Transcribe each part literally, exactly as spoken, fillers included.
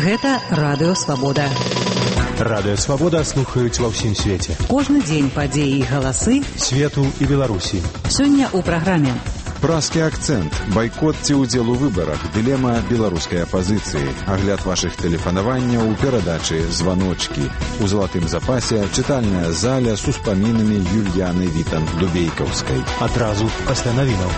Гэта Радыё Свабода. Радыё Свабода слухаюць ва ўсім свеце. Кожны дзень падзеі і галасы свету і Беларусі. Сёння ў праграме Празкі акцэнт, байкот ці ўдзел у выбарах, дылема беларускай апазіцыі, агляд вашых тэлефанаванняў у перадачы «Званочкі». У залатым запасе чытальная заля з успамінамі Юльяны Вітанд-Дубейкаўскай. Адразу пасля навінаў.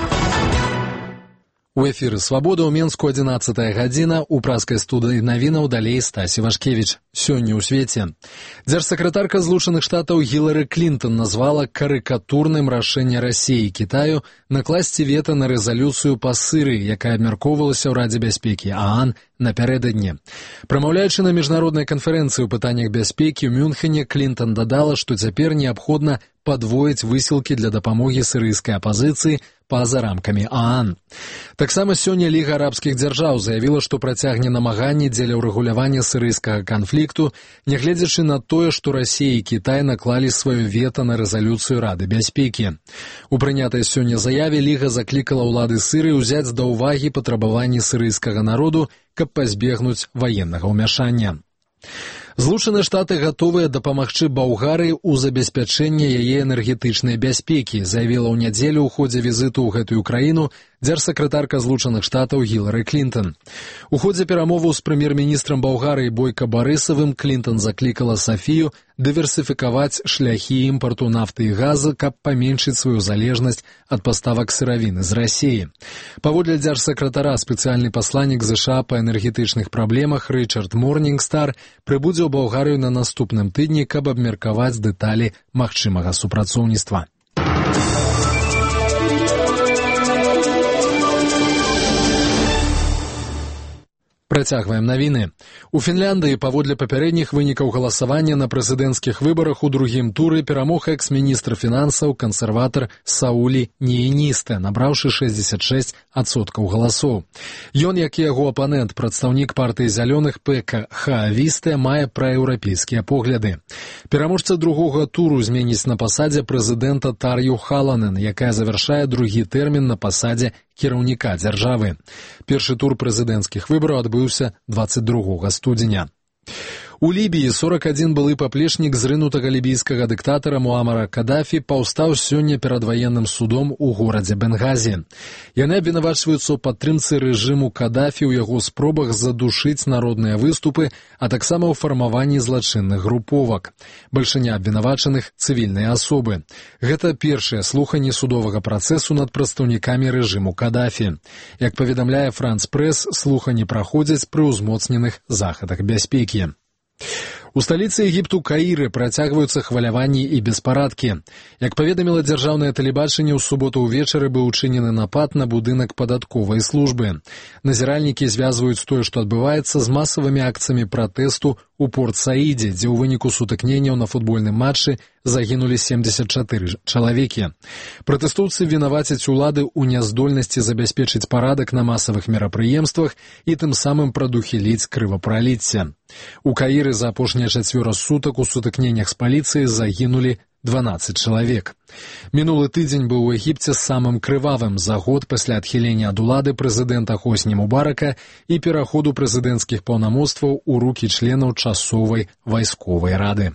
У эфіры «Свабода» ў Менску адзінаццатая гадзіна, у празкай студыі навінаў далей Стасі Вашкевіч. Сёння ў свеце. Дзяржсакратарка Злучаных Штатаў Гілары Клінтон назвала карыкатурным рашэнне Расіі і Кітаю накласці вета на рэзалюцыю па Сырыі, якая абмяркоўвалася ў Радзе бяспекі ААН напярэдадні. Прамаўляючы на міжнароднай канферэнцыі ў пытаннях бяспекі ў Мюнхене, Клінтон дадала, што цяпер неабходна падвоіць высілкі для дапамогі сірыйскай апазіцыі па-за рамкамі ААН. Таксама сёння Ліга арабскіх дзяржаў заявіла, што працягне намаганні дзеля ўрэгулявання сірыйскага канфлікту, нягледзячы на тое, што Расія і Кітай наклалі сваё вета на рэзалюцыю Рады бяспекі. У прынятай сёння заяве Ліга заклікала ўлады Сырыі ўзяць да ўвагі патрабаванні сірыйскага народу, каб пазбегнуць ваеннага ўмяшання. Злучаныя Штаты гатовыя дапамагчы Балгарыі ў забеспячэнні яе энергетычнай бяспекі, заявіла ў нядзелю ў ходзе візіту ў гэтую краіну дзяржсакратарка Злучаных Штатаў Гілары Клінтон. У ходзе перамоваў з прэм'ер-міністрам Балгарыі Бойка Барысавым Клінтон заклікала Сафію дыверсіфікаваць шляхі імпарту нафты і газа, каб паменшыць сваю залежнасць ад паставак сыравіны з Расіі. Паводле дзяржсакратара спецыяльны пасланнік ЗША па энергетычных праблемах Рычард Морнінгстар прыбудзе ў Балгарыю на наступным тыдні, каб абмеркаваць дэталі магчымага супрацоўніцтва. Працягваем навіны. У Фінляндыі паводле папярэдніх вынікаў галасавання на прэзідэнцкіх выбарах у другім туры перамог экс-міністр фінансаў кансерватар Саулі Нііністэ, набраўшы шэсцьдзесят шэсць адсоткаў галасоў. Ён, як і яго апанент, прадстаўнік партыі зялёных Пека Хаавістэ, мае праеўрапейскія погляды. Пераможца другога туру зменіць на пасадзе прэзідэнта Тар'ю Халанен, якая завяршае другі тэрмін на пасадзе кіраўніка дзяржавы. Першы тур прэзідэнцкіх выбараў адбыўся дваццаць другога студзеня. У Лібіі сорок адзін былы паплечнік зрынутага лібійскага дыктатара Муамара Кадафі паўстаў сёння перад ваенным судом у горадзе Бенгазі. Яны абвінавачваюцца ў падтрымцы рэжыму Кадафі ў яго спробах задушыць народныя выступы, а таксама ў фармаванні злачынных груповак. Бальшыня абвінавачаных цывільныя асобы. Гэта першыя слуханні судовага працэсу над прадстаўнікамі рэжыму Кадафі. Як паведамляе Франц Прэс, слуханні праходзяць пры ўзмоцненых захадах бяспекі. У сталіцы Егіпту Каіры працягваюцца хваляванні і беспарадкі. Як паведаміла дзяржаўнае тэлебачанне, ў суботу ўвечары быў учынены напад на будынак падатковай службы. Назіральнікі звязваюць тое, што адбываецца, з масавымі акцыямі пратэсту у Порт-Саідзе, дзе ў выніку сутыкненняў на футбольным матчы загінулі семдзесят чатыры чалавекі. Пратэстоўцы вінавацяць улады ў няздольнасці забяспечыць парадак на масавых мерапрыемствах і тым самым прадухіліць крывапраліцце. У Каіры за апошнія чацвёра сутак у сутыкненнях з паліцыяй загінулі дванаццаць чалавек. Мінулы тыдзень быў у Егіпце самым крывавым за год пасля адхілення ад улады прэзідэнта Хосні Мубарака і пераходу прэзідэнцкіх паўнамоцтваў у рукі членаў часовай вайсковай рады.